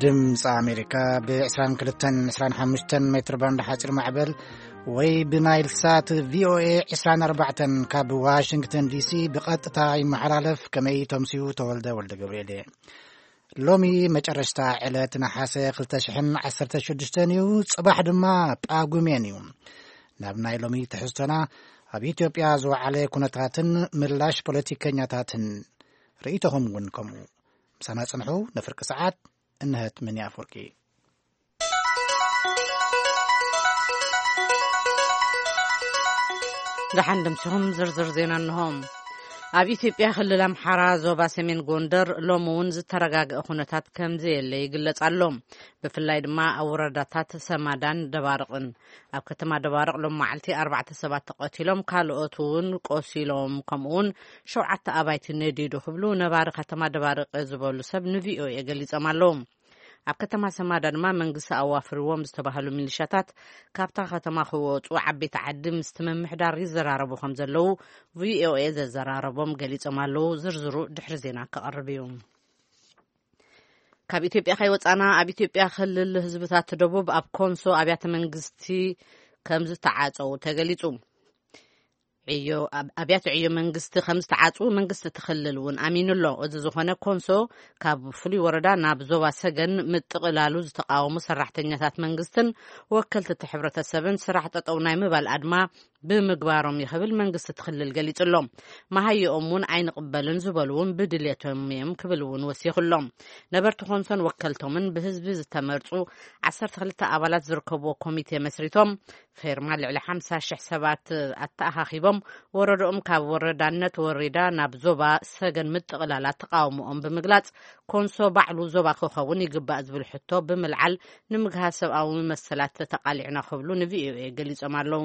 ድምፂ ኣሜሪካ ብ22 25 ሜትር ባንድ ሓፂር ማዕበል ወይ ብናይል ሳት ቪኦኤ 24 ካብ ዋሽንግተን ዲሲ ብቐጥታ ይመሓላለፍ። ከመይ ተምስዩ? ተወልደ ወልደ ገብርኤል እየ። ሎሚ መጨረሽታ ዕለት ነሓሰ 2016 እዩ። ጽባሕ ድማ ጳጉሜን እዩ። ናብ ናይ ሎሚ ትሕዝቶና፣ ኣብ ኢትዮጵያ ዝወዓለ ኩነታትን ምላሽ ፖለቲከኛታትን፣ ርእይቶኹም እውን ከምኡ። ምሳና ጽንሑ። ንፍርቂ ሰዓት እንሀት ምን ኣፈወርቂ። ደሓን ደምሲኹም። ዝርዝር ዜና እንሆ። ኣብ ኢትዮጵያ ክልል ኣምሓራ ዞባ ሰሜን ጎንደር ሎሚ እውን ዝተረጋግአ ኩነታት ከም ዘየለ ይግለጽ ኣሎ። ብፍላይ ድማ ኣብ ወረዳታት ሰማዳን ደባርቕን። ኣብ ከተማ ደባርቕ ሎም መዓልቲ ኣርባዕተ ሰባት ተቐቲሎም፣ ካልኦት እውን ቆሲሎም፣ ከምኡ እውን ሸውዓተ ኣባይቲ ነዲዱ ክብሉ ነባሪ ከተማ ደባርቕ ዝበሉ ሰብ ንቪኦኤ ገሊጾም ኣለዉ። ኣብ ከተማ ሰማዳ ድማ መንግስቲ ኣዋፍርዎም ዝተባህሉ ሚሊሻታት ካብታ ከተማ ክወጹ ዓበይቲ ዓዲ ምስቲ ምምሕዳር ይዘራረቡ ከም ዘለዉ ቪኦኤ ዘዘራረቦም ገሊጾም ኣለዉ። ዝርዝሩ ድሕሪ ዜና ክቐርብ እዩ። ካብ ኢትዮጵያ ከይወጻና፣ ኣብ ኢትዮጵያ ክልል ህዝብታት ደቡብ ኣብ ኮንሶ ኣብያተ መንግስቲ ከም ዝተዓጸዉ ተገሊጹ። ዕዮ፣ ኣብ-፣ ኣብያተ ዕዮ መንግስቲ ከም ዝተዓጽዉ መንግስቲ እቲ ክልል እውን ኣሚኑ ኣሎ። እዚ ዝኾነ ኮንሶ ካብ ፍሉይ ወረዳ ናብ ዞባ ሰገን ምጥቕላሉ ዝተቃወሙ ሰራሕተኛታት መንግስትን ወከልቲ እቲ ሕብረተሰብን ስራሕ ጠጠው ናይ ምባል ኣድማ ብምግባሮም ይኽብል መንግስቲ እቲ ክልል ገሊጹ ኣሎ። መሃይኦም እውን ኣይንቕበልን ዝበሉ እውን ብድልየቶም እዮም ክብል እውን ወሲኹ ኣሎ። ነበርቲ ኮንሶን ወከልቶምን ብህዝቢ ዝተመርጹ 12 ኣባላት ዝርከብዎ ኮሚቴ መስሪቶም ፌርማ ልዕሊ 50,000 ሰባት ኣተኣኻኺቦም፣ ወረዳኦም ካብ ወረዳነት ወሪዳ ናብ ዞባ ሰገን ምጥቕላላ ተቃውሞኦም ብምግላጽ፣ ኮንሶ ባዕሉ ዞባ ክኸውን ይግባእ ዝብል ሕቶ ብምልዓል፣ ንምግሃስ ሰብኣዊ መሰላት ተቃሊዕና ክብሉ ንቪኦኤ ገሊጾም ኣለዉ።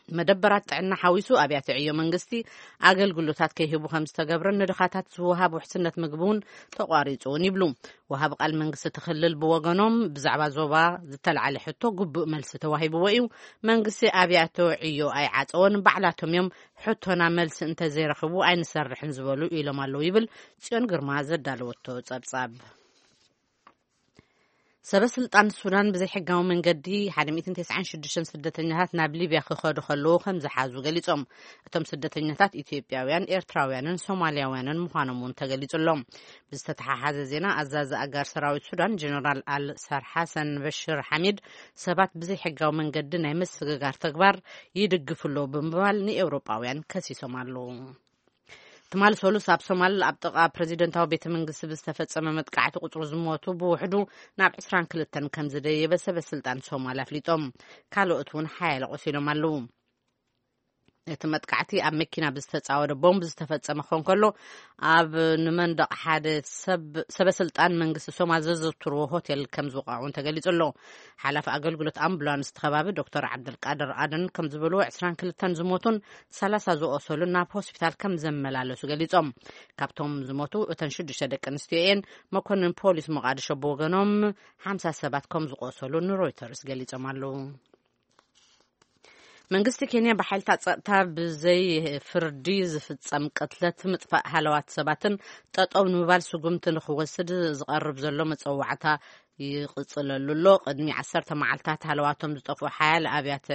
መደበራት ጥዕና ሓዊሱ ኣብያተ ዕዮ መንግስቲ ኣገልግሎታት ከይህቡ ከም ዝተገብረን ንድኻታት ዝወሃብ ውሕስነት ምግቢ እውን ተቋሪጹ እውን ይብሉ። ወሃቢ ቃል መንግስቲ እቲ ክልል ብወገኖም፣ ብዛዕባ ዞባ ዝተልዓለ ሕቶ ግቡእ መልሲ ተዋሂብዎ እዩ። መንግስቲ ኣብያተ ዕዮ ኣይዓጸወን፣ ባዕላቶም እዮም ሕቶና መልሲ እንተዘይረኽቡ ኣይንሰርሕን ዝበሉ ኢሎም ኣለዉ ይብል ጽዮን ግርማ ዘዳለወቶ ጸብጻብ። ሰበ ስልጣን ሱዳን ብዘይሕጋዊ መንገዲ 196 ስደተኛታት ናብ ሊብያ ክኸዱ ከለዉ ከም ዝሓዙ ገሊጾም። እቶም ስደተኛታት ኢትዮጵያውያን፣ ኤርትራውያንን ሶማሊያውያንን ምዃኖም እውን ተገሊጹ ኣሎ። ብዝተተሓሓዘ ዜና፣ ኣዛዚ ኣጋር ሰራዊት ሱዳን ጀነራል ኣል ሳር ሓሰን በሽር ሓሚድ፣ ሰባት ብዘይሕጋዊ መንገዲ ናይ ምስግጋር ተግባር ይድግፉ ኣለዉ ብምባል ንኤውሮጳውያን ከሲሶም ኣለዉ። ትማሊ ሰሉስ ኣብ ሶማል ኣብ ጥቓ ፕሬዚደንታዊ ቤተ መንግስቲ ብዝተፈጸመ መጥቃዕቲ ቁጽሪ ዝሞቱ ብውሕዱ ናብ 22 ከም ዝደየበ ሰበ ስልጣን ሶማል ኣፍሊጦም። ካልኦት እውን ሓያለ ቆሲሎም ኣለዉ። እቲ መጥቃዕቲ ኣብ መኪና ብዝተጻወደ ቦምብ ዝተፈጸመ ክኾን ከሎ፣ ኣብ ንመንደቕ ሓደ ሰብ፣ ሰበ ስልጣን መንግስቲ ሶማል ዘዘውትርዎ ሆቴል ከም ዝወቕዑን ተገሊጹ ኣሎ። ሓላፊ ኣገልግሎት ኣምቡላንስ እቲ ከባቢ ዶክተር ዓብደልቃድር ኣደን ከም ዝበልዎ፣ 22 ዝሞቱን 30 ዝቆሰሉን ናብ ሆስፒታል ከም ዘመላለሱ ገሊጾም። ካብቶም ዝሞቱ እተን ሽዱሽተ ደቂ ኣንስትዮ እየን። መኮንን ፖሊስ ሞቃዲሾ ብወገኖም፣ ሓምሳ ሰባት ከም ዝቆሰሉ ንሮይተርስ ገሊጾም ኣለዉ። መንግስቲ ኬንያ ብሓይልታት ጸጥታ ብዘይ ፍርዲ ዝፍጸም ቅትለት፣ ምጥፋእ ሃለዋት ሰባትን ጠጠው ንምባል ስጉምቲ ንክወስድ ዝቐርብ ዘሎ መጸዋዕታ ይቕጽለሉ ኣሎ። ቅድሚ ዓሰርተ መዓልታት ሃለዋቶም ዝጠፍኡ ሓያለ ኣብያተ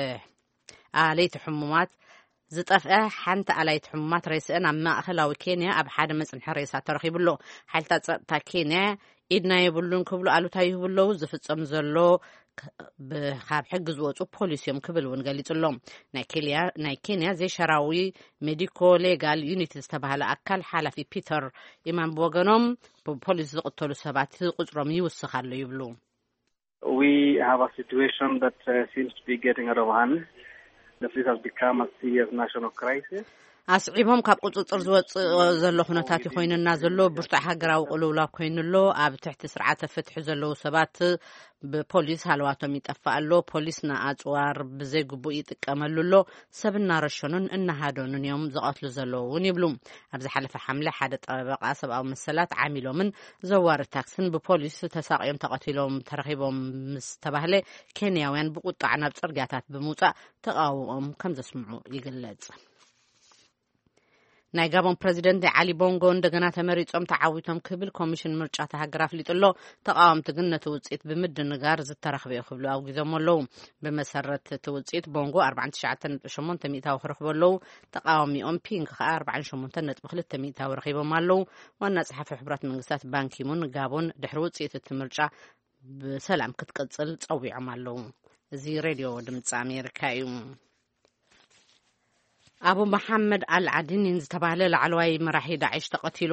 ኣለይቲ ሕሙማት ዝጠፍአ ሓንቲ ኣላይቲ ሕሙማት ሬስአን ኣብ ማእኸላዊ ኬንያ ኣብ ሓደ መጽንሒ ሬሳ ተረኺቡ ኣሎ። ሓይልታት ጸጥታ ኬንያ ኢድና የብሉን ክብሉ ኣሉታ ይህቡ ኣለዉ። ዝፍጸም ዘሎ ክ-፣ ብ-፣ ካብ ሕጊ ዝወጹ ፖሊሲ እዮም ክብል እውን ገሊጹ ኣሎ። ናይ ኬልያ-፣ ናይ ኬንያ ዘይሸራዊ ሜዲኮ ሌጋል ዩኒት ዝተባህለ ኣካል ሓላፊ ፒተር ኢማን ብወገኖም፣ ብፖሊስ ዝቕተሉ ሰባት ቁጽሮም ይውስኽ ኣሎ ይብሉ። We have a situation that, uh, seems to be getting out of hand, that this has become a serious national crisis. ኣስዒቦም፣ ካብ ቁጽጽር ዝወጽእ ዘሎ ኩነታት እዩ ኮይኑና ዘሎ፣ ብርቱዕ ሃገራዊ ቅልውላው ኮይኑ ኣሎ። ኣብ ትሕቲ ስርዓተ ፍትሒ ዘለዉ ሰባት ብፖሊስ ሃለዋቶም ይጠፍእ ኣሎ። ፖሊስ ንኣጽዋር ብዘይግቡእ ይጥቀመሉ ኣሎ። ሰብ እናረሸኑን እናሃደኑን እዮም ዝቐትሉ ዘለዉ እውን ይብሉ። ኣብ ዝሓለፈ ሓምለ ሓደ ጠበቓ ሰብኣዊ መሰላት ዓሚሎምን ዘዋሪ ታክስን ብፖሊስ ተሳቕዮም ተቐቲሎም ተረኺቦም ምስ ተባህለ፣ ኬንያውያን ብቁጣዕ ናብ ጽርግያታት ብምውጻእ ተቓውሞኦም ከም ዘስምዑ ይግለጽ። ናይ ጋቦን ፕረዚደንት ዓሊ ቦንጎ እንደገና ተመሪጾም ተዓዊቶም ክብል ኮሚሽን ምርጫ እታ ሃገር ኣፍሊጡ ኣሎ። ተቓወምቲ ግን ነቲ ውጽኢት ብምድንጋር ዝተረኽበ እዩ ክብሉ ኣውጊዞም ኣለዉ። ብመሰረት እቲ ውጽኢት ቦንጎ ኣርባዓን ትሽዓተን ነጥቢ ሸሞንተ ሚእታዊ ክረኽቡ ኣለዉ። ተቓዋሚኦም ፒንግ ከኣ ኣርባዓን ሸሞንተን ነጥቢ ክልተ ሚእታዊ ረኺቦም ኣለዉ። ዋና ጸሓፊ ሕቡራት መንግስታት ባንኪሙን ጋቦን ድሕሪ ውጽኢት እቲ ምርጫ ብሰላም ክትቅጽል ጸዊዖም ኣለዉ። እዚ ሬድዮ ድምጺ ኣሜሪካ እዩ። ኣቡ መሓመድ ኣል ዓዲኒን ዝተባህለ ላዕለዋይ መራሒ ዳዕሽ ተቐቲሉ።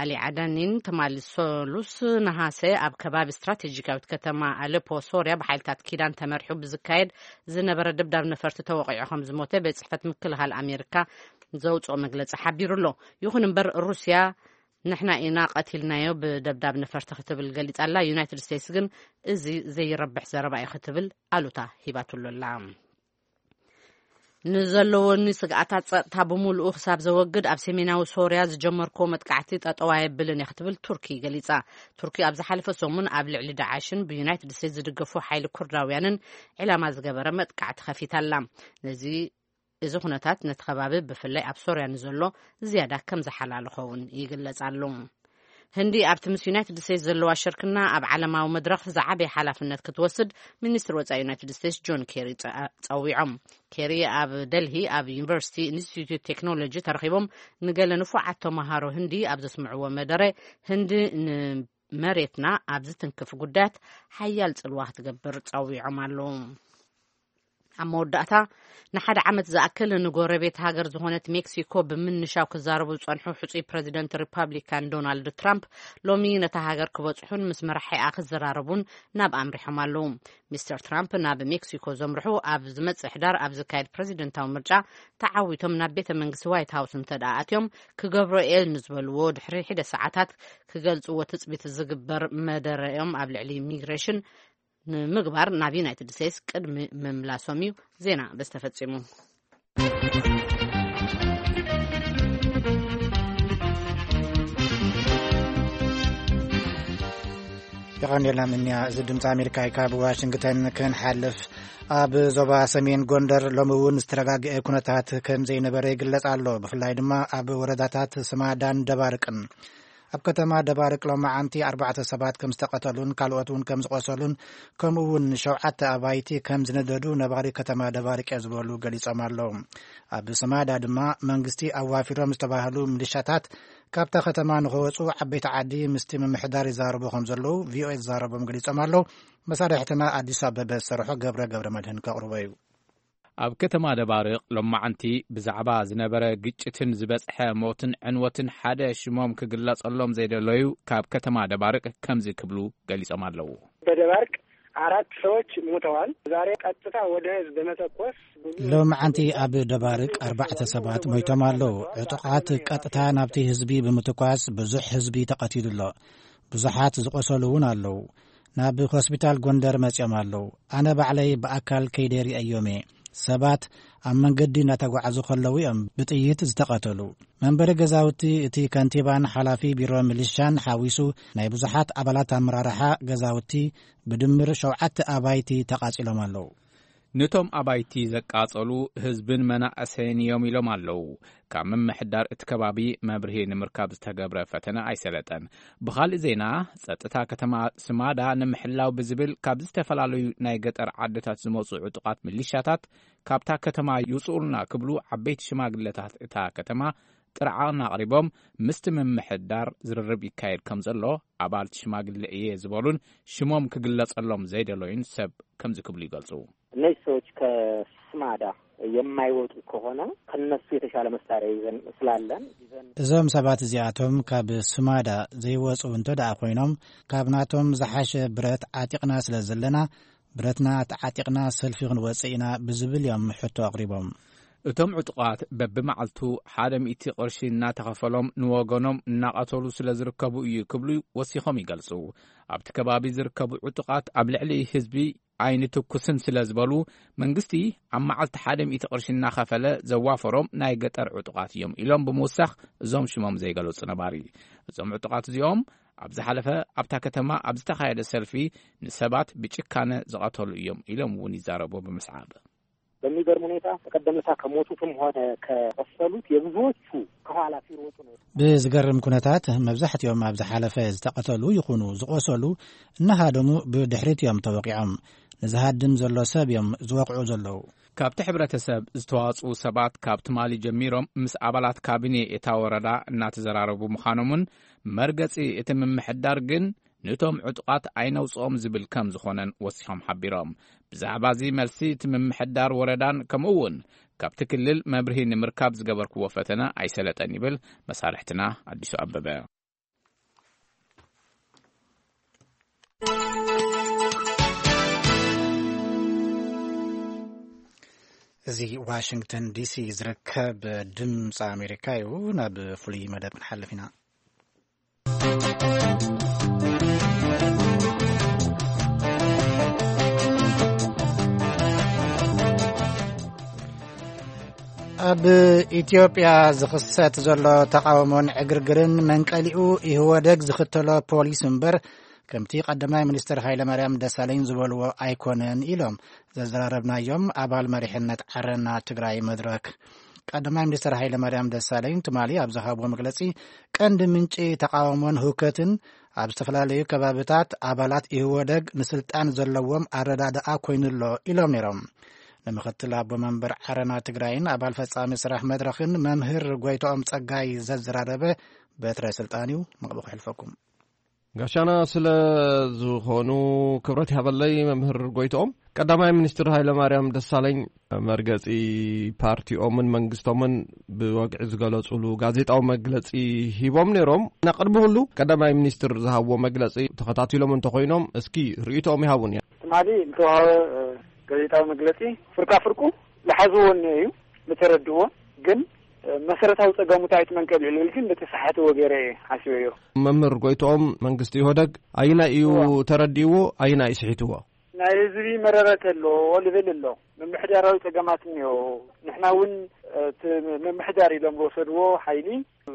ኣሊ ዓዳኒን ትማሊ ሰሉስ ነሃሰ ኣብ ከባቢ ስትራቴጂካዊት ከተማ ኣሌፖ ሶርያ ብሓይልታት ኪዳን ተመሪሑ ብዝካየድ ዝነበረ ደብዳብ ነፈርቲ ተወቒዑ ከም ዝሞተ ቤት ጽሕፈት ምክልኻል ኣሜሪካ ዘውፅኦ መግለፂ ሓቢሩ ኣሎ። ይኹን እምበር ሩስያ ንሕና ኢና ቀቲልናዮ ብደብዳብ ነፈርቲ ክትብል ገሊጻ ኣላ። ዩናይትድ ስቴትስ ግን እዚ ዘይረብሕ ዘረባ እዩ ክትብል ኣሉታ ሂባትሉ ኣላ። ንዘለወኒ ስግኣታት ጸጥታ ብምሉኡ ክሳብ ዘወግድ ኣብ ሰሜናዊ ሶርያ ዝጀመርክዎ መጥቃዕቲ ጠጠው ኣየብልን እየ ክትብል ቱርኪ ገሊጻ። ቱርኪ ኣብ ዝሓለፈ ሰሙን ኣብ ልዕሊ ዳዓሽን ብዩናይትድ ስቴትስ ዝድገፉ ሓይሊ ኩርዳውያንን ዕላማ ዝገበረ መጥቃዕቲ ከፊታ ኣላ። ነዚ እዚ ኩነታት ነቲ ከባቢ ብፍላይ ኣብ ሶርያ ንዘሎ ዝያዳ ከም ዝሓላልኾ እውን ይግለጽ ኣሎ። ህንዲ ኣብቲ ምስ ዩናይትድ ስቴትስ ዘለዋ ሽርክና ኣብ ዓለማዊ መድረኽ ዝዓበየ ሓላፍነት ክትወስድ ሚኒስትር ወጻኢ ዩናይትድ ስቴትስ ጆን ኬሪ ጸ- ጸዊዖም። ኬሪ ኣብ ደልሂ ኣብ ዩኒቨርሲቲ ኢንስቲትዩት ቴክኖሎጂ ተረኺቦም ንገለ ንፉዓት ተመሃሮ ህንዲ ኣብ ዘስምዕዎ መደረ፣ ህንዲ ንመሬትና ኣብ ዝትንክፍ ጉዳያት ሓያል ጽልዋ ክትገብር ጸዊዖም ኣለዉ። ኣብ መወዳእታ፣ ንሓደ ዓመት ዝኣክል ንጎረቤት ሃገር ዝኾነት ሜክሲኮ ብምንሻው ክዛረቡ ዝጸንሑ ሕጹይ ፕረዚደንት ሪፓብሊካን ዶናልድ ትራምፕ ሎሚ ነታ ሃገር ክበጽሑን ምስ መራሒኣ ክዘራረቡን ናብ ኣምሪሖም ኣለዉ። ሚስተር ትራምፕ ናብ ሜክሲኮ ዘምርሑ ኣብ ዝመጽእ ሕዳር ኣብ ዝካየድ ፕረዚደንታዊ ምርጫ ተዓዊቶም ናብ ቤተ መንግስቲ ዋይት ሃውስ እንተ ደኣ ኣትዮም ክገብሮ እየ ንዝበልዎ ድሕሪ ሒደ ሰዓታት ክገልጽዎ ትጽቢት ዝግበር መደረኦም ኣብ ልዕሊ ኢሚግሬሽን ንምግባር ናብ ዩናይትድ ስቴትስ ቅድሚ ምምላሶም እዩ ዜና በዚ ተፈጺሙ። የቐንየልና ምንያ። እዚ ድምፂ ኣሜሪካ እዩ። ካብ ዋሽንግተን ክንሓልፍ፣ ኣብ ዞባ ሰሜን ጎንደር ሎሚ እውን ዝተረጋግአ ኩነታት ከም ዘይነበረ ይግለጽ ኣሎ። ብፍላይ ድማ ኣብ ወረዳታት ስማዳን ደባርቅን። ኣብ ከተማ ደባርቅ ሎማዓንቲ ኣርባዕተ ሰባት ከም ዝተቐተሉን ካልኦት እውን ከም ዝቆሰሉን ከምኡ እውን ሸውዓተ ኣባይቲ ከም ዝነደዱ ነባሪ ከተማ ደባርቅ እየ ዝበሉ ገሊጾም ኣለዉ። ኣብ ስማዳ ድማ መንግስቲ ኣዋፊሮም ዝተባህሉ ሚሊሻታት ካብታ ከተማ ንኸወጹ ዓበይቲ ዓዲ ምስቲ ምምሕዳር ይዛረቡ ከም ዘለዉ ቪኦኤ ዝዛረቦም ገሊጾም ኣለዉ። መሳርሕትና ኣዲስ ኣበበ ዝሰርሖ ገብረ ገብረ መድህን ከቕርቦ እዩ። ኣብ ከተማ ደባርቕ ሎማዓንቲ ብዛዕባ ዝነበረ ግጭትን ዝበጽሐ ሞትን ዕንወትን ሓደ ሽሞም ክግለጸሎም ዘይደለዩ ካብ ከተማ ደባርቕ ከምዚ ክብሉ ገሊጾም ኣለዉ። በደባርቅ አራት ሰዎች ሞተዋል። ዛሬ ቀጥታ ወደ ህዝብ በመተኮስ ብዙ ሎማዓንቲ ኣብ ደባርቅ ኣርባዕተ ሰባት ሞይቶም ኣለዉ። ዕጡቓት ቀጥታ ናብቲ ህዝቢ ብምትኳስ ብዙሕ ህዝቢ ተቐቲሉ ኣሎ። ብዙሓት ዝቆሰሉ እውን ኣለዉ። ናብ ሆስፒታል ጎንደር መጺኦም ኣለዉ። ኣነ ባዕለይ ብኣካል ከይደ ርእየዮም እየ። ሰባት ኣብ መንገዲ እናተጓዓዙ ከለዉ እዮም ብጥይት ዝተቐተሉ። መንበሪ ገዛውቲ እቲ ከንቲባን ሓላፊ ቢሮ ሚሊሻን ሓዊሱ ናይ ብዙሓት ኣባላት ኣመራርሓ ገዛውቲ ብድምር ሸውዓተ ኣባይቲ ተቓጺሎም ኣለዉ። ነቶም ኣባይቲ ዘቃጸሉ ህዝብን መናእሰይን እዮም ኢሎም ኣለዉ። ካብ ምምሕዳር እቲ ከባቢ መብርሂ ንምርካብ ዝተገብረ ፈተነ ኣይሰለጠን። ብኻልእ ዜና፣ ጸጥታ ከተማ ስማዳ ንምሕላው ብዝብል ካብ ዝተፈላለዩ ናይ ገጠር ዓድታት ዝመጹ ዕጡቓት ሚሊሻታት ካብታ ከተማ ይውጽኡልና ክብሉ ዓበይቲ ሽማግለታት እታ ከተማ ጥርዓን ኣቕሪቦም ምስቲ ምምሕዳር ዝርርብ ይካየድ ከም ዘሎ ኣባልቲ ሽማግለ እየ ዝበሉን ሽሞም ክግለጸሎም ዘይደለዩን ሰብ ከምዚ ክብሉ ይገልጹ። እነዚህ ሰዎች ከስማዳ የማይወጡ ከሆነ ከነሱ የተሻለ መሳሪያ ይዘን ስላለን ይዘን እዞም ሰባት እዚኣቶም ካብ ስማዳ ዘይወፁ እንተ ደኣ ኮይኖም ካብ ናቶም ዝሓሸ ብረት ዓጢቕና ስለ ዘለና ብረትና ተዓጢቕና ሰልፊ ክንወፅእ ኢና ብዝብል እዮም ሕቶ ኣቕሪቦም። እቶም ዕጡቓት በብመዓልቱ ሓደ ሚእቲ ቅርሺ እናተኸፈሎም ንወገኖም እናቐተሉ ስለ ዝርከቡ እዩ ክብሉ ወሲኾም ይገልጹ። ኣብቲ ከባቢ ዝርከቡ ዕጡቓት ኣብ ልዕሊ ህዝቢ ኣይንትኩስን ስለ ዝበሉ፣ መንግስቲ ኣብ መዓልቲ ሓደ ሚእቲ ቅርሺ እናኸፈለ ዘዋፈሮም ናይ ገጠር ዕጡቓት እዮም ኢሎም ብምውሳኽ እዞም ሽሞም ዘይገለጹ ነባሪ። እዞም ዕጡቓት እዚኦም ኣብ ዝሓለፈ ኣብታ ከተማ ኣብ ዝተኻየደ ሰልፊ ንሰባት ብጭካነ ዝቐተሉ እዮም ኢሎም እውን ይዛረቡ ብምስዓብ። በሚገርም ሁኔታ በቀደም ዕለት ከሞቱትም ሆነ ከቆሰሉት የብዙዎቹ ከኋላ ሲሮጡ ነው። ብዝገርም ኩነታት መብዛሕትኦም ኣብ ዝሓለፈ ዝተቐተሉ ይኹኑ ዝቆሰሉ እናሃደሙ ብድሕሪት እዮም ተወቂዖም። ንዝሃድም ዘሎ ሰብ እዮም ዝወቕዑ ዘለዉ። ካብቲ ሕብረተሰብ ዝተዋጽኡ ሰባት ካብ ትማሊ ጀሚሮም ምስ ኣባላት ካቢኔ እታ ወረዳ እናተዘራረቡ ምዃኖምን መርገጺ እቲ ምምሕዳር ግን ነቶም ዕጡቓት ኣይነውጽኦም ዝብል ከም ዝኾነን ወሲኾም ሓቢሮም። ብዛዕባ እዚ መልሲ እቲ ምምሕዳር ወረዳን ከምኡ እውን ካብቲ ክልል መብርሂ ንምርካብ ዝገበርክዎ ፈተነ ኣይሰለጠን ይብል መሳርሕትና ኣዲሱ ኣበበ። እዚ ዋሽንግተን ዲሲ ዝርከብ ድምፂ ኣሜሪካ እዩ። ናብ ፍሉይ መደብ ክንሓልፍ ኢና። ኣብ ኢትዮጵያ ዝኽሰት ዘሎ ተቓውሞን ዕግርግርን መንቀሊኡ ኢህወደግ ዝኽተሎ ፖሊስ እምበር፣ ከምቲ ቀዳማይ ሚኒስትር ሃይለማርያም ደሳለኝ ዝበልዎ ኣይኮነን ኢሎም ዘዘራረብናዮም ኣባል መሪሕነት ዓረና ትግራይ መድረክ። ቀዳማይ ሚኒስትር ሃይለማርያም ደሳለኝ ትማሊ ኣብ ዝሃብዎ መግለጺ፣ ቀንዲ ምንጪ ተቓውሞን ህውከትን ኣብ ዝተፈላለዩ ከባብታት ኣባላት ኢህወደግ ንስልጣን ዘለዎም ኣረዳድኣ ኮይኑሎ ኢሎም ነይሮም። ንምክትል ኣቦ መንበር ዓረና ትግራይን ኣባል ፈጻሚ ስራሕ መድረኽን መምህር ጎይትኦም ጸጋይ ዘዘራረበ በትረ ስልጣን እዩ። መቕብቑ ሕልፈኩም። ጋሻና ስለ ዝኾኑ ክብረት ይሃበለይ መምህር ጎይትኦም። ቀዳማይ ሚኒስትር ሃይለማርያም ደሳለኝ መርገጺ ፓርቲኦምን መንግስቶምን ብወግዒ ዝገለጹሉ ጋዜጣዊ መግለጺ ሂቦም ነይሮም። እና ቅድሚ ኩሉ ቀዳማይ ሚኒስትር ዝሃብዎ መግለጺ ተኸታቲሎም እንተኾይኖም እስኪ ርእይቶኦም ይሃቡን እያ። ትማሊ ዝተዋሃበ፣ እ፣ ጋዜጣዊ መግለጺ ፍርቃ ፍርቁ ዝሓዝዎ እኒኦ እዩ፣ ዝተረድእዎ ግን፣ እ፣ መሰረታዊ ጸገሙ እንታይ እቲ መንቀሊኡ ልብል ግን በተሳሓትዎ ገይረ እየ ሓሲበዮ። መምህር ጎይትኦም መንግስቲ ኢህወደግ ኣይናይ እዩ እዋ። ተረዲእዎ፣ ኣይናይ ስሒትዎ? ናይ ህዝቢ መረረ ተሎ ልብል ኣሎ። ምምሕዳራዊ ጸገማት እኒኦ። ንሕና እውን፣ እ፣ እቲ ምምሕዳር ኢሎም ዝወሰድዎ ሓይሊ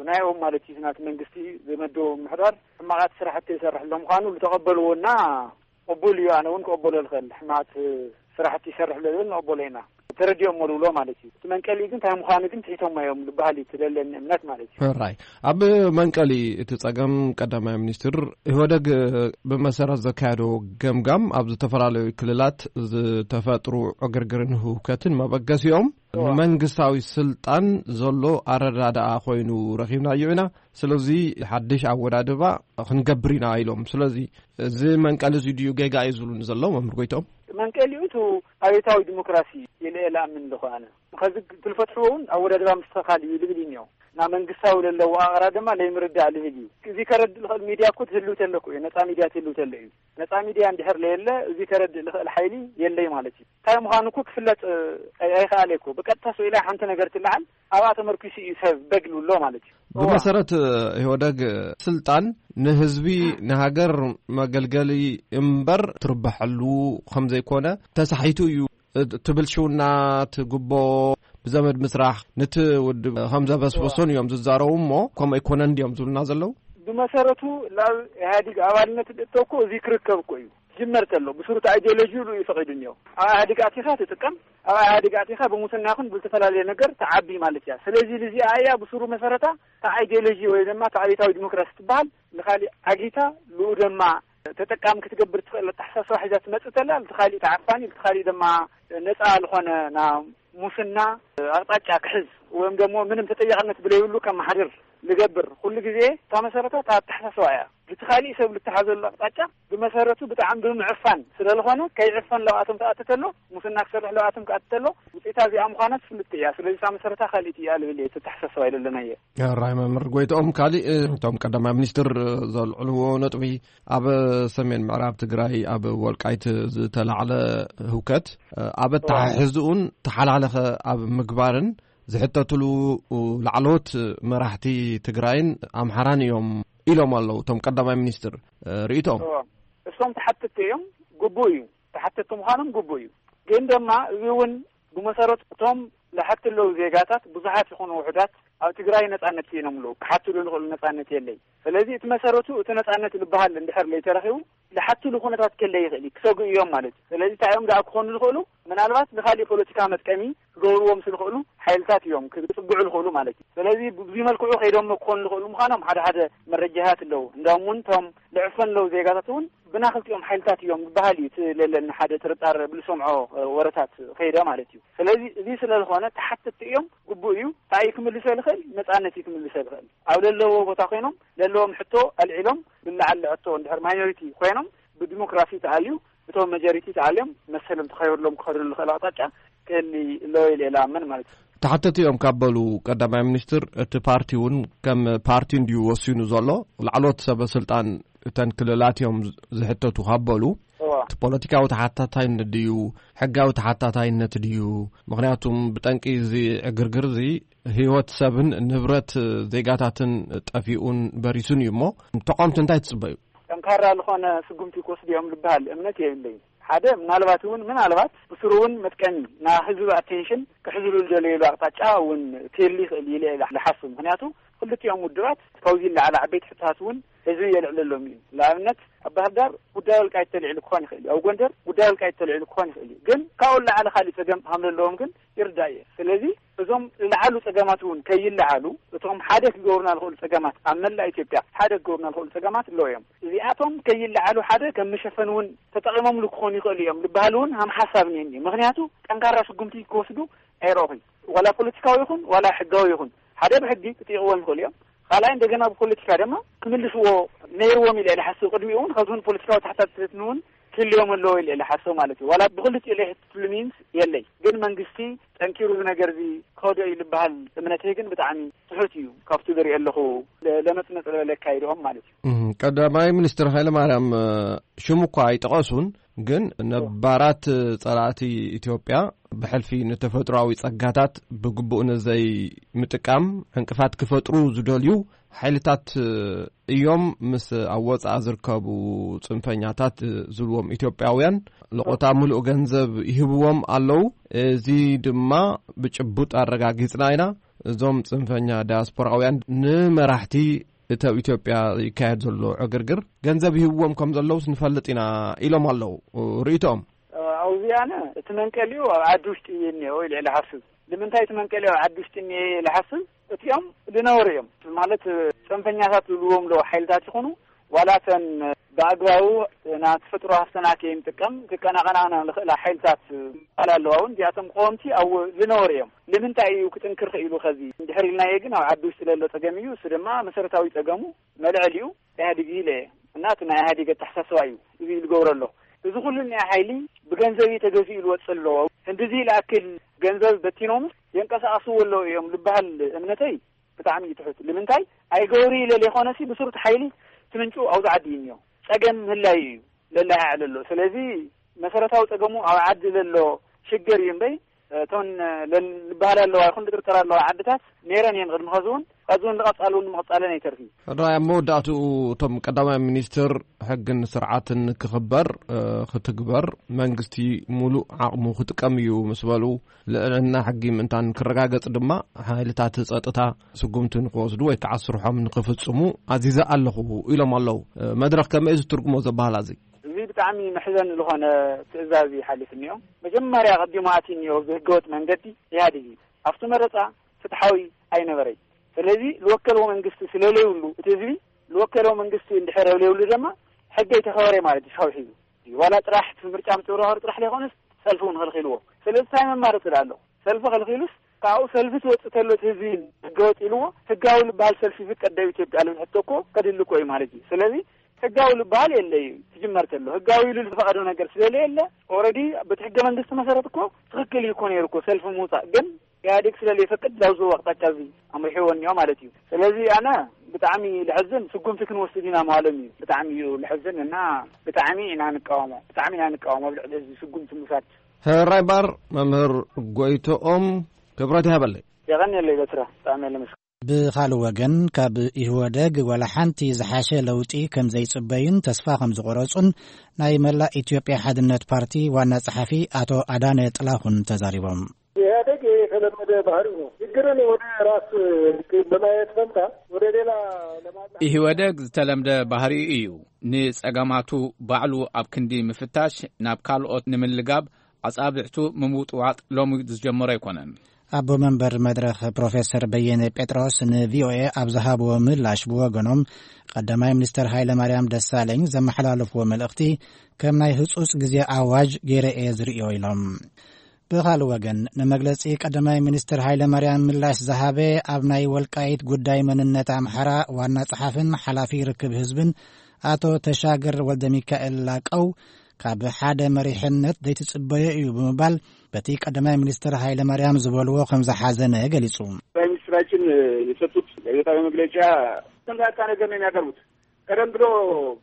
ናይኦም ማለት እዩ። ናቲ መንግስቲ ዝመደቦ ምምሕዳር ሕማቓት ስራሕቲ ይሰርሕ ኣሎ ምዃኑ ዝተቐበልዎና ቅቡል እዩ። ኣነ እውን ክቕበሎ ዝኽእል ሕማቓት ስራሕቲ ይሰርሕ ኣሎ ዝብል ንቕበሎ ኢና። ተረዲኦሞ ዝብሎ ማለት እዩ። እቲ መንቀሊ ግን እንታይ ምዃኑ ግን ትሒቶሞ እዮም ዝበሃል እዩ፣ እቲ ዘለኒ እምነት ማለት እዩ። ሕራይ። ኣብ መንቀሊ እቲ ጸገም ቀዳማይ ሚኒስትር ኢህወደግ ብመሰረት ዘካየዶ ገምጋም ኣብ ዝተፈላለዩ ክልላት ዝተፈጥሩ ዕግርግርን ህውከትን መበገሲኦም እዋ። ንመንግስታዊ ስልጣን ዘሎ ኣረዳድኣ ኮይኑ ረኺብናዮ ኢና። ስለዚ ሓድሽ ኣወዳድባ ክንገብር ኢና ኢሎም። ስለዚ እዚ መንቀሊ እዚ ድዩ ጌጋ እዩ ዝብሉኒ ዘለዉ መምህር ጎይቶም? መንቀሊኡ እቲ ኣብዮታዊ ዲሞክራሲ ኢለ እየ ዝኣምን ኣለኹ ኣነ። ከዚ ትልፈትሕዎ እውን ኣወዳድባ ምስትኽኻል እዩ ልብል እዩ እኒኦ። ናብ መንግስታዊ ለለዎ ኣቕራ ድማ ለይምርዳእ ልብል እዩ። እዚ ከረድእ ልኽእል ሚድያ እኮ ትህልው ተለኩ እዩ። ነፃ ሚድያ ትህልው ተለ እዩ። ነፃ ሚድያ እንድሕር ለየለ እዚ ከረድእ ልኽእል ሓይሊ የለይ ማለት እዩ። እንታይ ምዃኑ እኮ ክፍለጥ፣ እ፣ ኣይ-፣ ኣይኸኣለ እኮ። ብቀጥታ ስኢላ ሓንቲ ነገር ትለዓል፣ ኣብኣ ተመርኪሱ እዩ ሰብ በግ ልብሎ ማለት እዩ። እዋ። ብመሰረት፣ እ፣ ኢህወደግ ስልጣን ንህዝቢ ንሃገር መገልገሊ እምበር ትርበሐሉ ከም ዘይኮነ ተሳሒቱ እዩ። እ፣ ትብል ሽውና ትግቦ ብዘመድ ምስራሕ ንቲ ውድብ ከም ዘበስበሶን እዮም ዝዛረቡ እሞ ከምኡ ኣይኮነን እንዲዮም ዝብሉና ዘለዉ? ብመሰረቱ ናብ ኢህኣዲግ ኣባልነት እተኮ እዚ ክርከብ እኮ እዩ። ጅመር ተሎ ብስሩ እቲ ኣይዲዮሎጂ ኢሉ እዩ ፈቒዱ እኒኦ። ኣብ ኢህኣዲግ ኣቲኻ ትጥቀም፣ ኣብ ኢህኣዲግ ኣቲኻ ብሙስና ይኹን ብዝተፈላለየ ነገር ትዓቢ ማለት እያ። ስለዚ ልዚኣ እያ ብስሩ መሰረታ እቲ ኣይዲዮሎጂ ወይ ድማ እቲ ኣብዮታዊ ዲሞክራሲ ትበሃል ንኻሊእ ዓጊታ ልኡ ድማ ተጠቃሚ ክትገብር ትኽእል ኣተሓሳስባ ሒዛ ትመጽእ ተላ፣ እቲ ካሊእ ተዓፋኒ፣ እቲ ካሊእ ድማ ነጻ ዝኾነ ና ሙስና ኣቕጣጫ ክሕዝ ወይም ደግሞ ምንም ተጠያቕነት ብለይብሉ ከመሓድር ልገብር ኩሉ ግዜ እታ መሰረታ እታ ኣተሓሳስባ እያ። እቲ ካሊእ ሰብ ልተሓዘሉ ኣቕጣጫ ብመሰረቱ ብጣዕሚ ብምዕፋን ስለ ዝኾነ ከይዕፈን ለብኣቶም ተኣትተሎ፣ ሙስና ክሰርሕ ለብኣቶም ክኣትተሎ፣ ውፅኢታ እዚኣ ምዃና ትፍልጥ እያ። ስለዚ እታ መሰረታ ካልኢት እያ ልብል እየ፣ እቲ ኣተሓሳስባ ይለለና እየ። ሕራይ መምህር ጎይትኦም፣ ካሊእ እቶም ቀዳማይ ሚኒስትር ዘልዕልዎ ነጥቢ ኣብ ሰሜን ምዕራብ ትግራይ ኣብ ወልቃይት ዝተላዕለ ህውከት ኣብ ኣተሓሕዝኡን ተሓላለኸ ኣብ ምግባርን ዝሕተትሉ ላዕለዎት መራሕቲ ትግራይን ኣምሓራን እዮም ኢሎም ኣለዉ እቶም ቀዳማይ ሚኒስትር። ርእይቶም? እዎ። እሶም ተሓተትቲ እዮም፣ ግቡእ እዩ። ተሓተትቲ ምዃኖም ግቡእ እዩ። ግን ድማ እዚ እውን ብመሰረቱ እቶም ዝሓቱ ኣለዉ ዜጋታት ብዙሓት ይኹኑ ውሑዳት ኣብ ትግራይ ነጻነት ስኢኖም ኣለዉ። ክሓትሉ ዝኽእሉ ነጻነት የለይ። ስለዚ እቲ መሰረቱ እቲ ነጻነት ዝበሃል እንድሕር ለይተረኺቡ ዝሓትሉ ኩነታት ከለ ይኽእል እዩ፣ ክሰጉ እዮም ማለት እዩ። ስለዚ እንታይ እዮም ደኣ ክኾኑ ዝኽእሉ? ምናልባት ንኻሊእ ፖለቲካ መጥቀሚ ክገብርዎም ዝኽእሉ ሓይልታት እዮም ክጽግዑ ዝኽእሉ ማለት እዩ። ስለዚ ብዙ መልክዑ ከይዶም ክኾኑ ዝኽእሉ ምዃኖም ሓደ ሓደ መረጃታት ኣለዉ። እንዳውም እውን እቶም ልዕፈን ኣለዉ ዜጋታት እውን ብና ክልቲኦም ሓይልታት እዮም ዝበሃል እዩ። እቲ ለለኒ ሓደ ጥርጣር ብልሰምዖ ወረታት ከይደ ማለት እዩ። ስለዚ እዚ ስለ ዝኾነ ተሓተትቲ እዮም፣ ግቡእ እዩ። እንታይ እዩ ክምልሶ ዝኽእል? ነጻነት እዩ ክምልሶ ዝኽእል። ኣብ ለለዎ ቦታ ኮይኖም ለለዎም ሕቶ ኣልዒሎም ብላዓል ሕቶ እንድሕር ማይኖሪቲ ኮይኖም ብዲሞክራሲ ተኣልዩ እቶም መጀሪቲ ተኣልዮም መሰሎም ተኸብርሎም ክኸድሉ ዝኽእል ኣቕጣጫ ክህሊ ኣለዎ ኢለ እኣምን ማለት እዩ። ተሓተቲ እዮም ካብ በሉ ቀዳማይ ሚኒስትር፣ እቲ ፓርቲ እውን ከም ፓርቲ እንድዩ ወሲኑ ዘሎ። ላዕሎት ሰበ ስልጣን እተን ክልላት እዮም ዝሕተቱ ካብ በሉ፣ እዋ። እቲ ፖለቲካዊ ተሓታታይነት ድዩ፣ ሕጋዊ ተሓታታይነት ድዩ? ምኽንያቱም ብጠንቂ እዚ ዕግርግር እዚ ህይወት ሰብን ንብረት ዜጋታትን ጠፊኡን በሪሱን እዩ እሞ፣ ተቃወምቲ እንታይ ትጽበዩ? ጠንካራ ዝኾነ ስጉምቲ ክወስዱ እዮም ዝበሃል እምነት የብለይን። ሓደ ምናልባት እውን ምናልባት ብስሩ እውን መጥቀሚ ናይ ህዝቢ ኣቴንሽን ክሕዝሉ ዝደለየሉ ኣቕጣጫ እውን ክህሊ ይኽእል ኢለ እየ ዝሓስብ። ምኽንያቱ ክልቲኦም ውድባት ካብዚ ዝለዓለ ዓበይቲ ሕቶታት እውን ህዝቢ የልዕለሎም እዩ። ንኣብነት ኣብ ባህር ዳር ጉዳይ ወልቃይት ተልዒሉ ክኾን ይኽእል እዩ። ኣብ ጎንደር ጉዳይ ወልቃይት ተልዒሉ ክኾን ይኽእል እዩ። ግን ካብኡ ዝለዓለ ካሊእ ጸገም ከም ዘለዎም ግን ይርዳእ እየ። ስለዚ እዞም ዝለዓሉ ጸገማት እውን ከይለዓሉ እቶም ሓደ ክገብሩና ዝኽእሉ ጸገማት ኣብ መላእ ኢትዮጵያ ሓደ ክገብሩና ዝኽእሉ ጸገማት ኣለዉ እዮም። እዚኣቶም ከይለዓሉ ሓደ ከም መሸፈኒ እውን ተጠቒሞምሉ ክኾኑ ይኽእሉ እዮም ዝበሃል እውን ሃም ሓሳብ እኒአኒ። ምኽንያቱ ጠንካራ ስጉምቲ ክወስዱ ኣይረእኹን። ዋላ ፖለቲካዊ ይኹን ዋላ ሕጋዊ ይኹን ሓደ ብሕጊ ክጥይቕዎም ይኽእሉ እዮም። ካልኣይ እንደገና ብፖለቲካ ድማ ክምልስዎ ነይርዎም ኢለ ኢለ ሓስብ። ቅድሚኡ እውን ካብዚ እውን ፖለቲካዊ ተሓታትነት እውን ክህልዮም ኣለዎ ኢለ ኢለ ሓስብ ማለት እዩ። ዋላ ብክልቲኡ ኢለ ይሕትትሉ ሚንስ የለይ። ግን መንግስቲ ጠንኪሩ እዚ ነገር እዚ ክኸዶ እዩ ዝበሃል እምነተይ ግን ብጣዕሚ ትሑት እዩ። ካብቲ ዝሪኦ ኣለኹ ለ-፣ ለመጽነጽ ለካይድኦም ማለት እዩ። እም፣ ቀዳማይ ሚኒስትር ሃይለማርያም፣ እ፣ ሽሙ እኳ ኣይጠቐሱን፣ ግን ነባራት ጸላእቲ ኢትዮጵያ ብሕልፊ ንተፈጥሮኣዊ ጸጋታት ብግቡእ ንዘይ ምጥቃም ዕንቅፋት ክፈጥሩ ዝደልዩ ሓይልታት እዮም ምስ ኣብ ወጻኢ ዝርከቡ ጽንፈኛታት ዝብልዎም ኢትዮጵያውያን ለቖታ ምሉእ ገንዘብ ይህብዎም ኣለዉ። እዚ ድማ ብጭቡጥ ኣረጋጊጽና ኢና። እዞም ጽንፈኛ ዳያስፖራውያን ንመራሕቲ እቲ ኣብ ኢትዮጵያ ይካየድ ዘሎ ዕግርግር ገንዘብ ይህብዎም ከም ዘለውስ ንፈልጥ ኢና ኢሎም ኣለዉ። ርእይቶኦም ኣብዚኣነ እቲ መንቀሊኡ ኣብ ዓዲ ውሽጢ እዩ እኒኦ ኢለ ልሓስብ። ንምንታይ እቲ መንቀሊኡ ኣብ ዓዲ ውሽጢ እኒኦ ኢለ ልሓስብ? እቲኦም ዝነበሩ እዮም። ማለት፣ ጽንፈኛታት ዝብልዎም ኣለዉ ሓይልታት ይኹኑ፣ ዋላ እተን ብኣግባቡ ናብ ተፈጥሮ ሃፍትና ከይንጥቀም ክቀናቐናና ዝኽእላ ሓይልታት ኣለዋ እውን፣ እዚኣቶም ቀወምቲ ኣብኡ ዝነበሩ እዮም። ንምንታይ እዩ ክጥንክር ክኢሉ? ከዚ እንድሕር ኢልናዮ ግን ኣብ ዓዲ ውሽጢ ለሎ ጸገም እዩ። እሱ ድማ መሰረታዊ ጸገሙ መልዕሊኡ ኢህኣዴግ እዩ ኢለ እየ። እና እቲ ናይ ኢህኣዴግ ኣተሓሳስባ እዩ እዚ ዝገብሮ ኣሎ። እዚ ኩሉ እኒኣ ሓይሊ ብገንዘብ እዩ ተገዚኡ ዝወፅእ ኣሎ። ክንድዚ ዝኣክል ገንዘብ በቲኖምስ የንቀሳቐስዎ ኣለዉ እዮም ዝበሃል እምነተይ ብጣዕሚ እዩ ትሑት። ንምንታይ ኣይገብሩ ኢለ ዘይኮነሲ ብስሩ እቲ ሓይሊ እቲ ምንጩ ኣብዚ ዓዲ እዩ እኒኦ። ጸገም ምህላዩ እዩ ለለሃ ኣሎ። ስለዚ መሰረታዊ ጸገሙ ኣብ ዓዲ ዘሎ ሽግር እዩ እምበይ እተን ለ-፣ ዝበሃላ ኣለዋ ይኹን ዝጥርጠራ ኣለዋ ዓድታት ነይረን እየን ቅድሚ ኸዚ እውን፣ ኸዚ እውን ዝቐጻሉ እውን ንምቕጻለን ኣይተርፍን። ሕራይ ኣብ መወዳእትኡ እቶም ቀዳማይ ሚኒስትር ሕግን ስርዓትን ክኽበር፣ እ፣ ክትግበር መንግስቲ ሙሉእ ዓቕሙ ክጥቀም እዩ ምስ በሉ፣ ልዕልና ሕጊ ምእንታን ክረጋገጽ ድማ ሓይልታት ጸጥታ ስጉምቲ ንክወስዱ ወይ ከዓ ስርሖም ንክፍጽሙ ኣዚዘ ኣለኹ ኢሎም ኣለዉ። እ፣ መድረኽ ከመይ እዩ ዝትርጉሞ ዘበሃላ እዚ? እዚ ብጣዕሚ መሕዘኒ ዝኾነ ትእዛዝ እዩ ሓሊፉ እኒኦ። መጀመርያ ቀዲሙ ኣትዩ እኒኦ ብህገወጥ መንገዲ ኢህኣዴግ እዩ። ኣብቲ መረፃ ፍትሓዊ ኣይነበረይ። ስለዚ ዝወከልዎ መንግስቲ ስለለይብሉ እቲ ህዝቢ ዝወከልዎ መንግስቲ እንድሕር ዘይብሉ ድማ ሕገ ኣይተኸበረ ማለት እዩ። ካብ ሒዙ ዋላ ጥራሕ እቲ ምርጫ ምጭብርባር ጥራሕ ዘይኮነስ ሰልፊ እውን ከልኪልዎ። ስለዚ እንታይ መማረፂ ኣሎ? ሰልፊ ከልኪሉስ ካብኡ ሰልፊ ትወፅእ ተሎ እቲ ህዝቢ ህገወጥ ኢልዎ ህጋዊ ዝበሃል ሰልፊ ይፍቀድ ዶ ኢትዮጵያ ዝብል ሕቶ እኮ ከድሊ እኮ እዩ ማለት እዩ። ስለዚ ህጋዊ ዝበሃል የለ እዩ። ትጅመር ተሎ ህጋዊ ኢሉ ዝፈቐዶ ነገር ስለዘየለ ኦልሬዲ በቲ ሕገ መንግስቲ መሰረት እኮ ትኽክል እዩ እኮ ነይሩ እኮ ሰልፊ ምውፃእ። ግን ኢህኣዴግ ስለዘይፈቅድ ላብዚ ኣቕጣጫ እዚ ኣምሪሕዎ እኒኦ ማለት እዩ። ስለዚ ኣነ ብጣዕሚ ልሕዝን ስጉምቲ ክንወስድ ኢና ምባሎም እዩ። ብጣዕሚ እዩ ልሕዝን እና ብጣዕሚ ኢና ንቃወሞ። ብጣዕሚ ኢና ንቃወሞ ኣብ ልዕሊ እዚ ስጉምቲ ምውሳድ። ሕራይ ባር መምህር ጎይቶኦም ክብረት ይሃበለይ። የቐንየለይ በትረ። ብጣዕሚ እየ ለመስግን። ብኻልእ ወገን፣ ካብ ኢህወደግ ዋላ ሓንቲ ዝሓሸ ለውጢ ከም ዘይጽበዩን ተስፋ ከም ዝቖረጹን ናይ መላእ ኢትዮጵያ ሓድነት ፓርቲ ዋና ጸሓፊ ኣቶ ኣዳነ ጥላሁን ተዛሪቦም። ኢህኣዴግ የተለመደ ባህሪው ነው። ችግርን ወደ ራስ በማየት ፈንታ ወደ ሌላ ለማላ ኢህወደግ ዝተለምደ ባህሪኡ እዩ። ንጸገማቱ ባዕሉ ኣብ ክንዲ ምፍታሽ፣ ናብ ካልኦት ንምልጋብ ኣጻብዕቱ ምምውጥዋጥ ሎሚ ዝጀመሮ ኣይኮነን። ኣቦ መንበር መድረኽ ፕሮፌሰር በየነ ጴጥሮስ ንቪኦኤ ኣብ ዝሃብዎ ምላሽ ብወገኖም፣ ቀዳማይ ሚኒስተር ሃይለ ማርያም ደሳለኝ ዘመሓላለፍዎ መልእኽቲ ከም ናይ ህጹጽ ግዜ ኣዋጅ ገይረ እየ ዝርእዮ ኢሎም። ብኻልእ ወገን፣ ንመግለጺ ቀዳማይ ሚኒስትር ሃይለ ማርያም ምላሽ ዝሃበ፣ ኣብ ናይ ወልቃይት ጉዳይ መንነት ኣምሓራ ዋና ጸሓፍን ሓላፊ ርክብ ህዝብን ኣቶ ተሻገር ወልደ ሚካኤል ላቀው፣ ካብ ሓደ መሪሕነት ዘይትጽበዮ እዩ ብምባል፣ በቲ ቀዳማይ ሚኒስትር ሃይለ ማርያም ዝበልዎ ከም ዝሓዘነ ገሊጹ። ጠቅላይ ሚኒስትራችን የሰጡት ጋዜጣዊ መግለጫ ተምታታ ነገር ነው የሚያቀርቡት። ቀደም ብሎ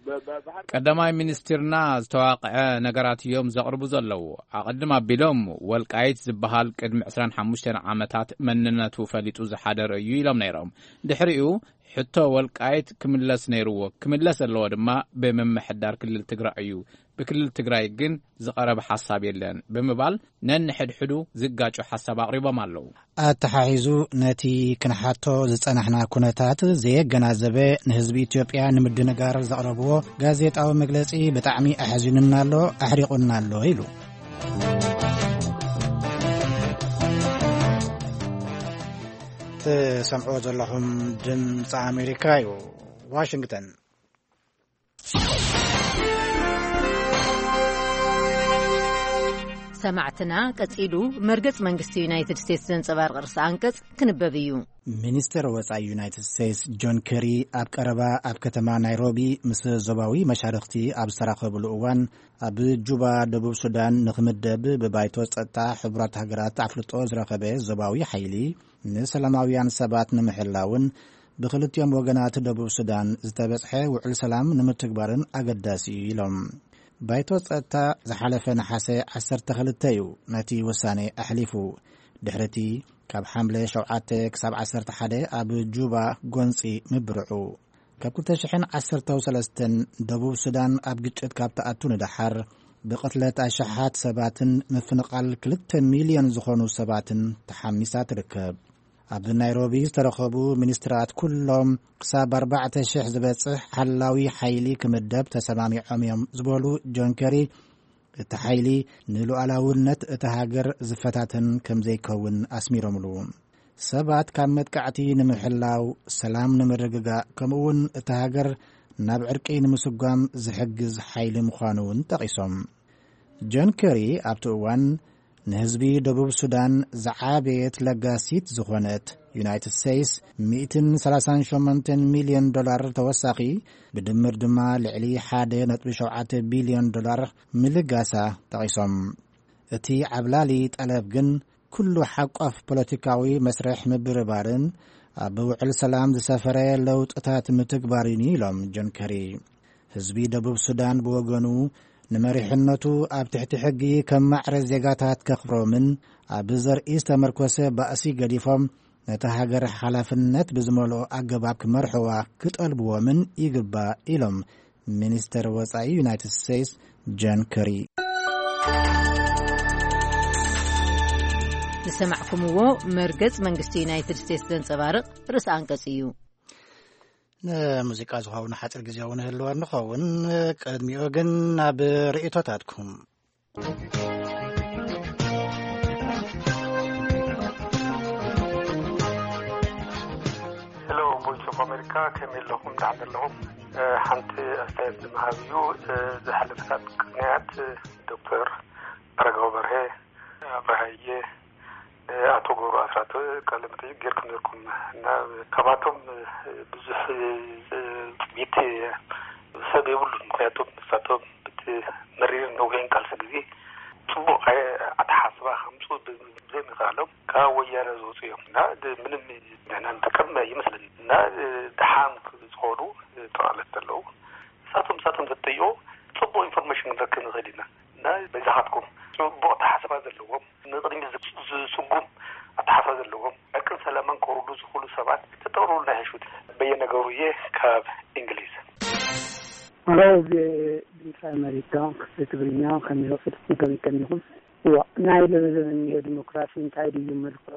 በ-፣ በ-፣ ባህር ቀዳማይ ሚኒስትርና ዝተዋቕዐ ነገራት እዮም ዘቕርቡ ዘለዉ። ኣቐድም ኣቢሎም፣ ወልቃይት ዝበሃል ቅድሚ ዕስራን ሓሙሽተን ዓመታት መንነቱ ፈሊጡ ዝሓደረ እዩ ኢሎም ነይሮም። ድሕሪኡ፣ ሕቶ ወልቃይት ክምለስ ነይርዎ፣ ክምለስ ዘለዎ ድማ ብምምሕዳር ክልል ትግራይ እዩ፣ ብክልል ትግራይ ግን ዝቐረበ ሓሳብ የለን ብምባል፣ ነንሕድሕዱ ዝጋጩ ሓሳብ ኣቕሪቦም ኣለዉ። ኣተሓሒዙ፣ ነቲ ክንሓቶ ዝጸናሕና ኩነታት ዘየገናዘበ፣ ንህዝቢ ኢትዮጵያ ንምድንጋር ዘቕረብዎ ጋዜጣዊ መግለጺ ብጣዕሚ ኣሕዚኑና ኣሎ፣ ኣሕሪቑና ኣሎ ኢሉ። ትሰምዕዎ ዘለኹም ድምፂ ኣሜሪካ እዩ። ዋሽንግተን። ሰማዕትና፣ ቀጺሉ መርገጽ መንግስቲ ዩናይትድ ስቴትስ ዘንጸባርቕ ርእሰ ኣንቀጽ ክንበብ እዩ። ሚኒስተር ወጻኢ ዩናይትድ ስቴትስ ጆን ኬሪ ኣብ ቀረባ ኣብ ከተማ ናይሮቢ ምስ ዞባዊ መሻርኽቲ ኣብ ዝተራኸብሉ እዋን፣ ኣብ ጁባ፣ ደቡብ ሱዳን ንኽምደብ ብባይቶ ጸጥታ ሕቡራት ሃገራት ኣፍልጦ ዝረኸበ ዞባዊ ሓይሊ፣ ንሰላማውያን ሰባት ንምሕላውን ብኽልቲኦም ወገናት ደቡብ ሱዳን ዝተበጽሐ ውዕል ሰላም ንምትግባርን ኣገዳሲ እዩ ኢሎም። ባይቶ ጸጥታ ዝሓለፈ ነሓሰ ዓሰርተ ክልተ እዩ ነቲ ውሳኔ ኣሕሊፉ። ድሕሪቲ ካብ ሓምለ ሸውዓተ ክሳብ ዓሰርተ ሓደ ኣብ ጁባ ጎንጺ ምብርዑ። ካብ ክልተ ሽሕን ዓሰርተው ሰለስተን ደቡብ ሱዳን ኣብ ግጭት ካብ ትኣቱ ንደሓር፣ ብቕትለት ኣሽሓት ሰባትን ምፍንቓል ክልተ ሚልዮን ዝኾኑ ሰባትን ተሓሚሳ ትርከብ። ኣብ ናይሮቢ ዝተረኸቡ ሚኒስትራት፣ ኩሎም ክሳብ ኣርባዕተ ሽሕ ዝበጽሕ ሓላዊ ሓይሊ ክምደብ ተሰማሚዖም እዮም ዝበሉ ጆን ኬሪ፣ እቲ ሓይሊ ንሉዓላውነት እታ ሃገር ዝፈታተን ከም ዘይከውን ኣስሚሮምሉ። ሰባት ካብ መጥቃዕቲ ንምሕላው፣ ሰላም ንምርግጋእ፣ ከምኡውን እታ ሃገር ናብ ዕርቂ ንምስጓም ዝሕግዝ ሓይሊ ምዃኑ እውን ጠቒሶም። ጆን ኬሪ ኣብቲ እዋን፣ ንህዝቢ ደቡብ ሱዳን ዝዓበየት ለጋሲት ዝኾነት ዩናይትድ ስቴትስ፣ ሚእትን ሰላሳን ሸሞንተን ሚልዮን ዶላር ተወሳኺ፣ ብድምር ድማ ልዕሊ ሓደ ነጥቢ ሸውዓተ ቢልዮን ዶላር ምልጋሳ ጠቒሶም። እቲ ዓብላሊ ጠለብ ግን፣ ኩሉ ሓቋፍ ፖለቲካዊ መስርሕ ምብርባርን ኣብ ውዕል ሰላም ዝሰፈረ ለውጥታት ምትግባርን እዩ ኢሎም ጆን ከሪ። ህዝቢ ደቡብ ሱዳን ብወገኑ፣ ንመሪሕነቱ ኣብ ትሕቲ ሕጊ ከም ማዕረ ዜጋታት ከኽብሮምን ኣብ ዘርኢ ዝተመርኮሰ ባእሲ ገዲፎም፣ ነታ ሃገር ሓላፍነት ብዝመልኦ ኣገባብ ክመርሕዋ ክጠልብዎምን ይግባእ ኢሎም ሚኒስተር ወጻኢ ዩናይትድ ስቴትስ ጆን ከሪ። ዝሰማዕኩምዎ መርገጽ መንግስቲ ዩናይትድ ስቴትስ ዘንጸባርቕ ርእሰ ኣንቀጽ እዩ። ንሙዚቃ ዝኸውን ሓጺር ግዜ እውን ህልወ ንኸውን። ቅድሚኡ ግን ናብ ርእይቶታትኩም። ሄሎ፣ ቮይስ ኦፍ ኣሜሪካ፣ ከመይ ኣለኹም? ደሓን ኣለኹም? እ፣ ሓንቲ ኣስተያየት ንምሃብ እዩ። እ፣ ዝሓለፈታት ቅንያት፣ እ፣ ዶክተር ኣረጋዊ በርሀ፣ ኣብርሃ እየ፣ እ፣ ኣቶ ገብሩ ኣስራት ቃለ መጠይቅ ጌርኩም ነርኩም እና፣ ካብኣቶም፣ እ፣ ብዙሕ፣ እ፣ ጽቢት፣ እ፣ ሰብ የብሉን። ምክንያቱም ንሳቶም እቲ መሪርን ነዊሕን ቃልሲ ግዜ ጽቡቕ ኣይ-፣ ኣተሓሳስባ ከምጽኡ ብ-፣ ብዘይምኽኣሎም፣ ካብ ወያነ ዝወጹ እዮም እና ድ-፣ ምንም ንሕና ንጥቀም ኣይመስለኒ እና፣ እ፣ ደሓን ዝኾኑ፣ እ፣ ጠቕላላት ዘለዉ፣ ንሳቶም፣ ንሳቶም ዘተይዎ ጽቡቕ ኢንፎርሜሽን ክንረክብ ንኽእል ኢና እና በዛኻትኩም ጽቡቕ ኣተሓሳስባ ዘለዎም፣ ንቕድሚት ዝ-፣ ዝስጉም ኣተሓሳስባ ዘለዎም፣ ዕርቅን ሰላምን ከውርዱ ዝኽእሉ ሰባት ተጠቕርቡልና ይሕሹ። በየነ ገብሩ እየ ካብ እንግሊዝ። ሄሎ፣ ቪ-፣ ድምፂ ኣሜሪካ፣ ክፍሊ ትግርኛ፣ ከመይ፣ ከመይ፣ ከመይ ኢኹም? እዋ፣ ናይ ሎሚ ዘመን እኒኦ ዲሞክራሲ እንታይ ድዩ መልክዑ?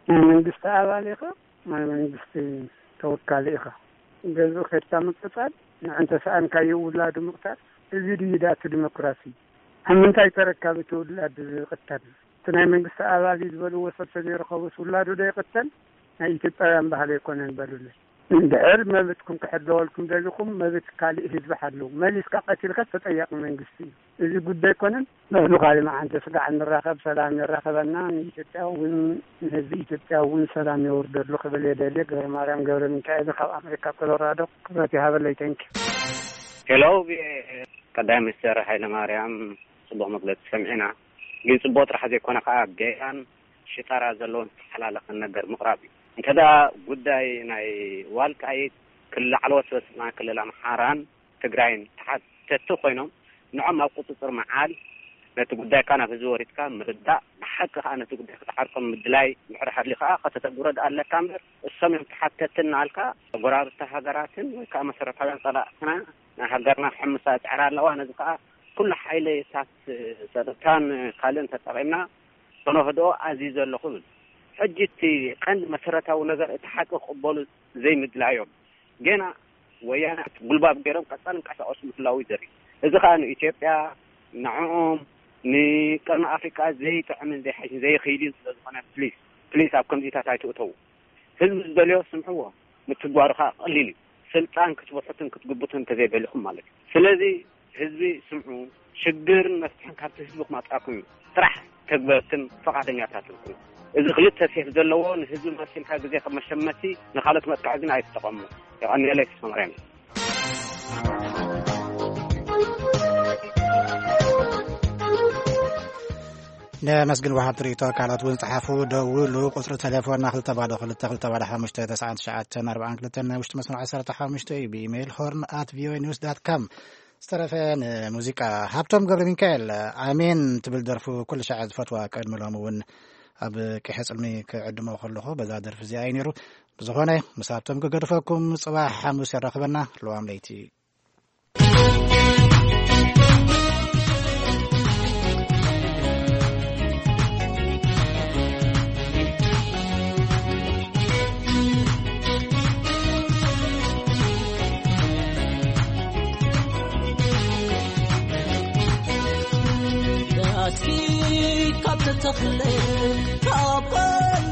ናይ መንግስቲ ኣባል ኢኻ፣ ናይ መንግስቲ ተወካሊ ኢኻ። ገዝኡ ከድካ ምቅጻል፣ ንዕንተ ሰኣንካዮ ውላዱ ምቕታል፣ እዚ ድዩ ዳእቱ ዲሞክራሲ? ኣብ ምንታይ ተረካቢ እቲ ውላድ ዝቕተል? እቲ ናይ መንግስቲ ኣባል እዩ ዝበልዎ ሰብ ተዘይረኸቡስ ውላዱ ዶ ይቕተል? ናይ ኢትዮጵያውያን ባህሊ ኣይኮነን በሉለይ። እንድሕር መብትኩም ክሕለወልኩም ደሊኹም፣ መብት ካልእ ህዝቢ ሓልው። መሊስካ ቀቲልካ ተጠያቂ መንግስቲ እዩ። እዚ ጉዳይ ኣይኮነን። ንሕሉ ካልእ መዓንተ ስጋዕ ንራኸብ፣ ሰላም የራኸበና። ንኢትዮጵያ እውን ንህዝቢ ኢትዮጵያ እውን ሰላም የውርደሉ ክብል የደልየ። ገብረ ማርያም ገብረ ሚካኤል ካብ ኣሜሪካ ኮሎራዶ። ክብረት ይሃበለይ። ተንኪ። ሄሎ፣ ቀዳማይ ሚኒስትር ሃይለ ማርያም ጽቡቕ መግለጺ ሰሚዕና፣ ግን ጽቡቕ ጥራሕ ዘይኮነ ከኣ ጌጋን ሽጣራ ዘለዎን ዝተሓላለኸን ነገር ምቕራብ እዩ። እንተ ደኣ ጉዳይ ናይ ዋልቃይት ክልል ላዕለዎት ሰበስልጣን ክልል ኣምሓራን ትግራይን ተሓተቲ ኮይኖም፣ ንዖም ኣብ ቁጽጽር ምዓል፣ ነቲ ጉዳይካ ናብ ህዝቢ ወሪድካ ምርዳእ፣ ብሓቂ ከኣ ነቲ ጉዳይ ክትሓርቆም ምድላይ፣ ምሕር ሃልዩ ከኣ ከተተግብሮ ደኣ ኣለካ እምበር፣ እሶም እዮም ተሓተቲ እናበልካ፣ ጎረባብቲ ሃገራትን ወይ ከኣ መሰረታውያን ጸላእትና ናይ ሃገርና ክሕምሳ ይጽዕራ ኣለዋ። ነዚ ከኣ ኩሉ ሓይልታት ጸጥታን ካልእን ተጠቒምና ከነህድኦ ኣዚዘ ኣለኹ እብል። ሕጂ እቲ ቀንዲ መሰረታዊ ነገር እቲ ሓቂ ክቕበሉ ዘይምድላዮም፣ ገና ወያነ ጉልባብ ገይሮም ቀጻሊ እንቀሳቐሱ ምህላዉ እዩ ዘርኢ። እዚ ከኣ ንኢትዮጵያ፣ ንዕኦም፣ ንቀርኒ ኣፍሪቃ ዘይጥዕምን ዘይሓይሽን ዘይኽይድን ስለ ዝኾነ፣ ፕሊስ፣ ፕሊስ ኣብ ከምዚታት ኣይትእተዉ። ህዝቢ ዝደልዮ ስምዕዎ፣ ምትግባሩ ከኣ ቀሊል እዩ። ስልጣን ክትበሕቱን ክትግብቱን እንተዘይደሊኹም ማለት እዩ። ስለዚ ህዝቢ ስምዑ፣ ሽግርን መፍትሕን ካብቲ ህዝቢ ክመጽኣኩም እዩ። ጥራሕ ተግበርትን ፍቓደኛታትን ኩኑ። እዚ ክልተ ሴፍ ዘለዎ ንህዝቢ መሲልካ ግዜ ከም መሸመቲ ንኻልኦት መጥቃዕቲ ግን ኣይትጠቐሙ። የቐንየለይ፣ ተስፋማርያም። ነመስግን ወሃብቲ ርእይቶ። ካልኦት እውን ጸሓፉ፣ ደውሉ። ቁጽሪ ተሌፎንና ክልተ ባዶ ክልተ ክልተ ባዶ ሓሙሽተ ተስዓን ትሽዓተን ኣርባዓን ክልተን፣ ናይ ውሽጢ መስመር ዓሰርተ ሓሙሽተ እዩ። ብኢሜይል ሆርን ኣት ቪኦኤ ኒውስ ዳት ካም። ዝተረፈ ንሙዚቃ። ሃብቶም ገብረ ሚካኤል ኣሜን ትብል ደርፉ ኩሉ ሻዕ ዝፈትዋ፣ ቅድሚ ሎሚ እውን ኣብ ቂሐ ጽልሚ ክዕድሞ ከለኹ በዛ ደርፊ እዚኣ እዩ ነይሩ። ብዝኾነ ምስ ሃብቶም ክገድፈኩም፣ ጽባሕ ሓሙስ የራኽበና። ለዋም ለይቲ። ዳስኪ ካብ ተተኽለ፣ ካብ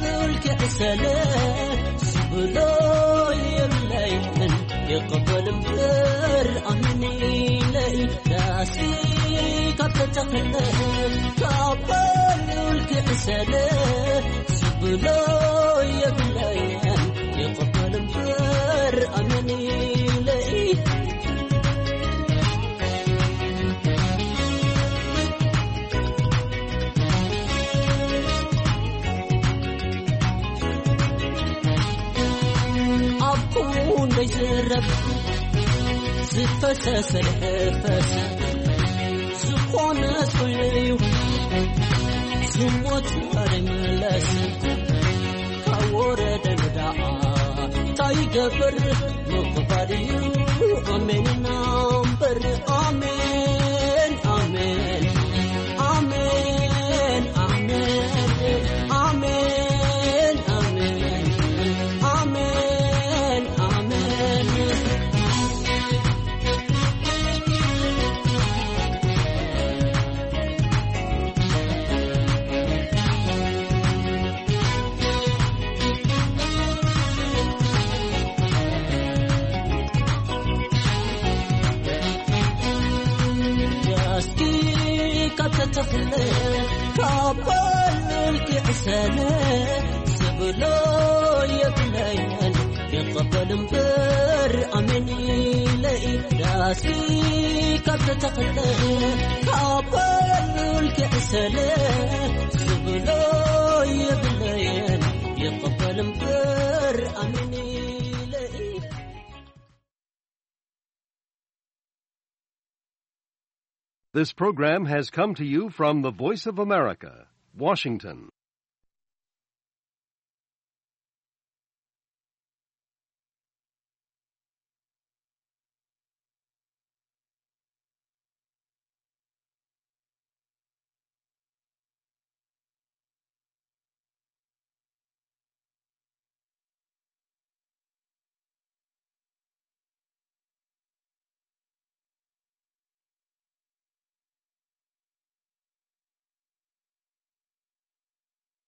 ልዑል ክዕሰለ፣ ዝብሎ የብለይን፣ ይቕበል እምበር ኣሚን ኢለይ። ዳስኪ ካብ ተተኽለ፣ ካብ ልዑል ክዕሰለ፣ ዝብሎ የብለይን፣ ይቕበል እምበር ኣሚን ኢለይ። ኣብ ኩንደይ ዝረብ ዝፈሰሰ ፈሰ ዝኾነ ኮይኑ እዩ ዝሞት ኣይምለስ። ካብ ወረደ ንዳኣ እንታይ ይገብር ምቕባል እዩ። ኣሜን ኢና እምበር ኣሜን፣ ኣሜን፣ ኣሜን፣ ኣሜን፣ ኣሜን፣ ኣሜን፣ ኣሜን፣ ኣሜን፣ ኣሜን። ዳስኪ ካብ ተተኽለ፣ ካብ ልዑል ክዕሰለ፣ ዝብሎ የብለይን፣ ይቐበል እምበር ኣሜን ኢለ። ዳስኪ ካብ ተተኽለ፣ ካብ ልዑል ክዕሰለ፣ ዝብሎ የብለይን፣ ይቐበል እምበር ኣሜን ኢለ። This program has come to you from the Voice of America, Washington.